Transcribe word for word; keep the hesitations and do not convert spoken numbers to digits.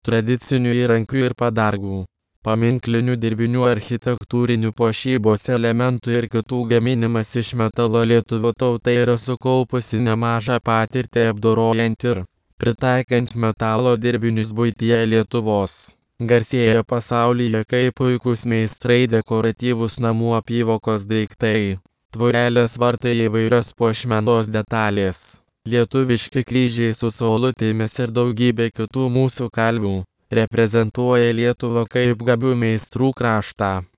tradicinių įrankių ir padargų, paminklinių dirbinių, architektūrinių puošybos elementų ir kitų gaminimas iš metalo. Lietuvių tauta yra sukaupusi nemažą patirtį apdorojant ir pritaikant metalo dirbinius buityje. Lietuvos garsėja pasaulyje kaip puikūs meistrai dekoratyvūs namų apyvokos daiktai, tvorelės, vartai, įvairios puošmenos detalės, lietuviški kryžiai su saulutėmis ir daugybė kitų mūsų kalvių reprezentuoja Lietuvą kaip gabių meistrų kraštą.